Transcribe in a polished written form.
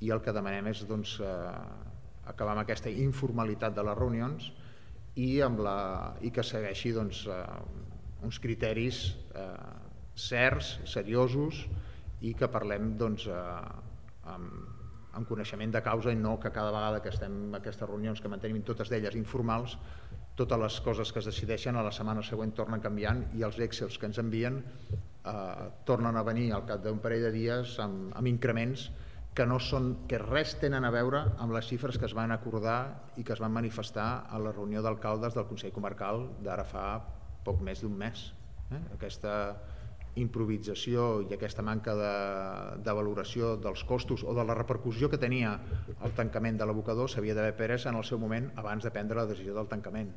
i el que demanem és acabar amb aquesta informalitat de les reunions i que segueixi uns criteris certs, seriosos, i que parlem amb coneixement de causa i no que cada vegada que estem en aquestes reunions, que mantenim totes d'elles informals, totes les coses que es decideixen a la setmana següent tornen canviant i els Excels que ens envien tornen a venir al cap d'un parell de dies amb increments que res tenen a veure amb les xifres que es van acordar i que es van manifestar a la reunió d'alcaldes del Consell Comarcal d'ara fa poc més d'un mes. Aquesta improvisació i aquesta manca de valoració dels costos o de la repercussió que tenia el tancament de l'abocador s'havia d'haver pres en el seu moment abans de prendre la decisió del tancament.